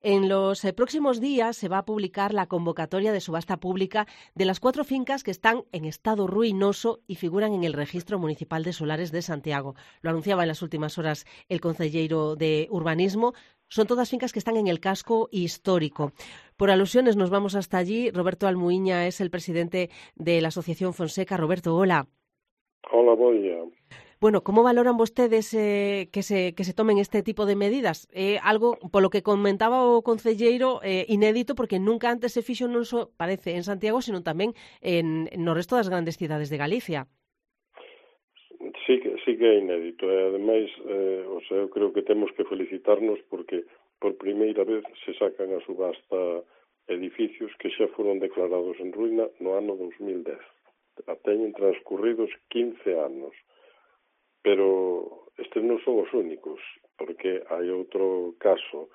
En los próximos días se va a publicar la convocatoria de subasta pública de las 4 fincas que están en estado ruinoso y figuran en el Registro Municipal de Solares de Santiago. Lo anunciaba en las últimas horas el concelleiro de Urbanismo. Son todas fincas que están en el casco histórico. Por alusiones nos vamos hasta allí. Roberto Almuiña es el presidente de la Asociación Fonseca. Roberto, hola. Hola, bon día. Bueno, ¿cómo valoran vostedes que se tomen este tipo de medidas? Algo, por lo que comentaba o concelleiro, inédito, porque nunca antes se fixo non só, parece, en Santiago, sino tamén no resto das grandes cidades de Galicia. Sí que é inédito. Ademais, eu creo que temos que felicitarnos porque por primeira vez se sacan a subasta edificios que xa foron declarados en ruína no ano 2010. Teñen transcurridos 15 anos. Pero estes non son os únicos, porque hai outro caso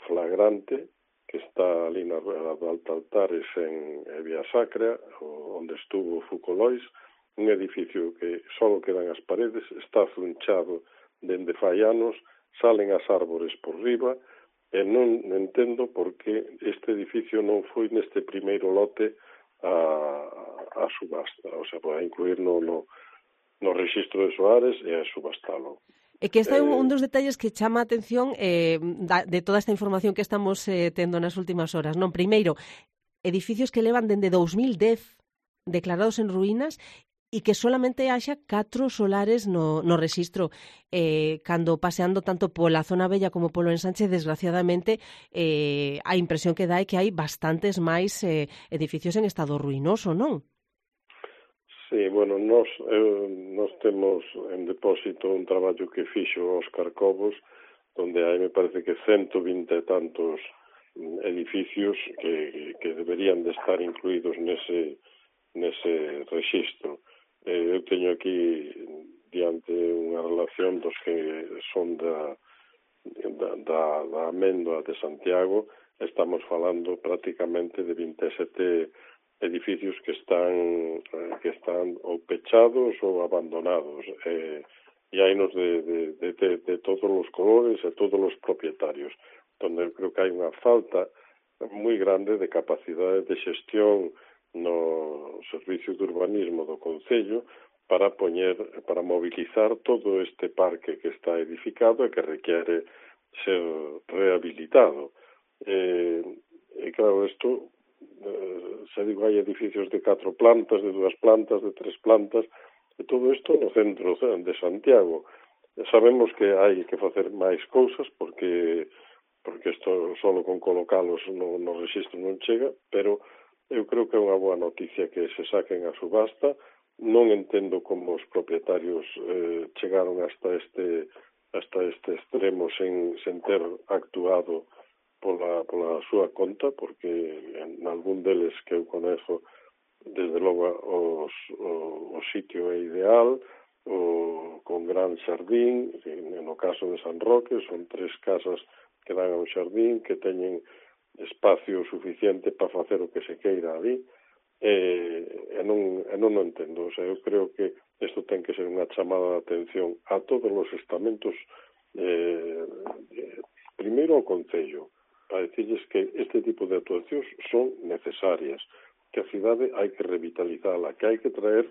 flagrante que está ali na Rueda de Altares en Vía Sacra, onde estuvo Fucolois, un edificio que só quedan as paredes, está zunchado dende fai anos, salen as árbores por riba, e non entendo por que este edificio non foi neste primeiro lote a subasta, o sea, para incluirlo no Rexistro de Soares e a subastalo. É que este é un dos detalles que chama a atención de toda esta información que estamos tendo nas últimas horas. Non, primeiro, edificios que levan dende 2010 declarados en ruínas e que solamente haxa 4 solares no rexistro. Cando paseando tanto pola zona bella como polo ensanche, desgraciadamente, a impresión que dá é que hai bastantes máis edificios en estado ruinoso, non? Sí, bueno, nos temos en depósito un traballo que fixo Óscar Cobos, donde hai, me parece que 120 e tantos edificios que deberían de estar incluídos nese rexistro. Eu teño aquí diante unha relación dos que son da Améndoa de Santiago. Estamos falando prácticamente de 27 edificios que están ou pechados ou abandonados, e hainos de todos os colores e todos os propietarios, donde eu creo que hai unha falta moi grande de capacidade de xestión no servicio de urbanismo do Concello para mobilizar todo este parque que está edificado e que requiere ser rehabilitado. E claro, isto se digo, hai edificios de 4 plantas, de 2 plantas, de 3 plantas, e todo isto no centro de Santiago. Sabemos que hai que facer máis cousas, porque isto solo con colocalos no rexistro non chega, pero eu creo que é unha boa noticia que se saquen a subasta. Non entendo como os propietarios chegaron hasta este extremo sen ter actuado pola súa conta, porque en algún deles que eu conezo, desde logo o sitio é ideal, con gran xardín. No caso de San Roque son 3 casas que dan a un xardín, que teñen espacio suficiente para facer o que se queira ali, e non o entendo. O sea, eu creo que isto ten que ser unha chamada de atención a todos os estamentos, primeiro ao Concello, para decirles que este tipo de actuacións son necesarias, que a cidade hai que revitalizala, que hai que traer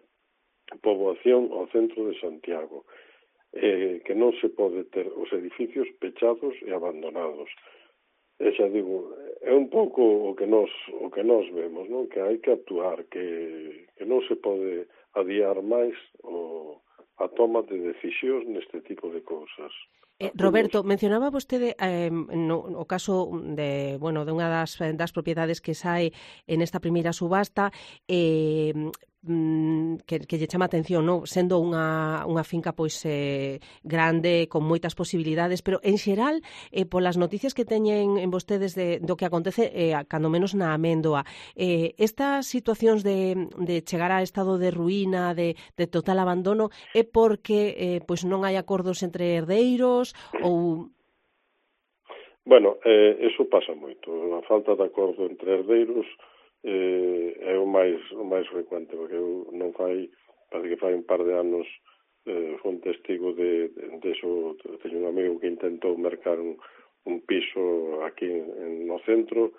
poboación ao centro de Santiago, que non se pode ter os edificios pechados e abandonados. E xa digo, é un pouco o que nos vemos, non? Que hai que actuar, que non se pode adiar máis a toma de decisións neste tipo de cousas. Roberto, mencionaba vostede o caso de unha das propiedades que sae en esta primeira subasta, que lle chama a atención, non? Sendo unha finca pois grande, con moitas posibilidades, pero en xeral, polas noticias que teñen en vostedes do que acontece, cando menos na Améndoa, estas situacións de chegar a estado de ruína, de total abandono, é porque pois non hai acordos entre herdeiros ou... Bueno, eso pasa moito. A falta de acordo entre herdeiros é o máis frecuente, porque eu non parece que fai un par de anos fui un testigo de eso. Teño un amigo que intentou mercar un piso aquí no centro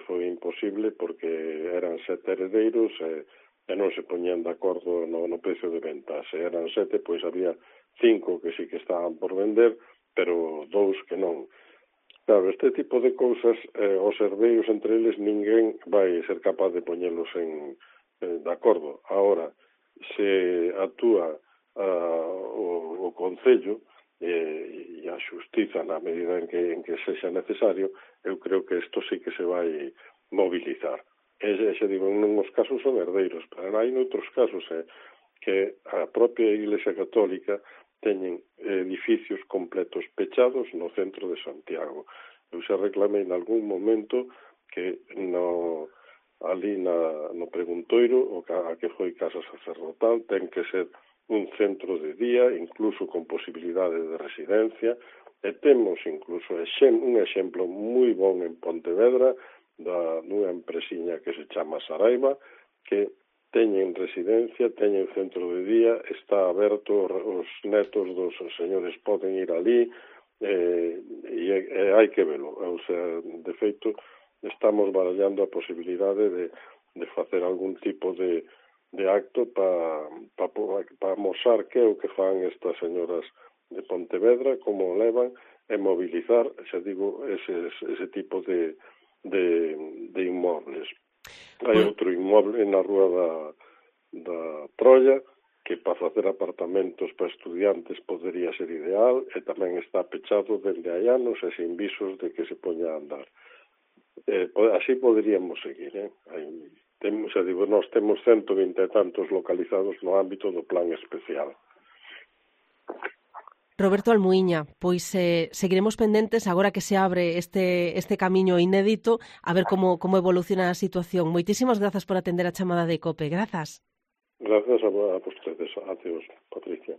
foi imposible porque eran 7 heredeiros e non se poñían de acordo no precio de venta. Se eran 7, pois había 5 que sí que estaban por vender, pero 2 que non. Claro, este tipo de cousas, os herdeiros entre eles, ninguén vai ser capaz de poñelos de acordo. Ahora, se actúa o Concello e a Xustiza na medida en que sexa necesario, eu creo que isto sí que se vai mobilizar. E se digo, en uns casos son herdeiros, pero hai noutros casos que a propia Iglesia Católica teñen edificios completos pechados no centro de Santiago. Eu xa reclamei en algún momento que ali no Preguntoiro, a que foi casa sacerdotal, ten que ser un centro de día, incluso con posibilidade de residencia, e temos incluso un exemplo moi bon en Pontevedra, dunha empresiña que se chama Saraiva, que teñen residencia, teñen centro de día, está aberto, os netos dos señores poden ir ali, e hai que velo. O sea, de feito, estamos barallando a posibilidade de facer algún tipo de acto para mostrar que é o que fan estas señoras de Pontevedra, como levan, e mobilizar, xa digo, ese tipo de inmobles. Hai outro inmoble na rúa da Troia, que para facer apartamentos para estudiantes podería ser ideal, e tamén está pechado dende hai anos e sin visos de que se poña a andar. Así poderíamos seguir, xa digo, nós temos 120 e tantos localizados no ámbito do plan especial. Roberto Almuíña, pois seguiremos pendentes agora que se abre este camiño inédito a ver como evoluciona a situación. Moitísimas grazas por atender a chamada de COPE. Grazas. Grazas a vostedes. Adeus, Patricia.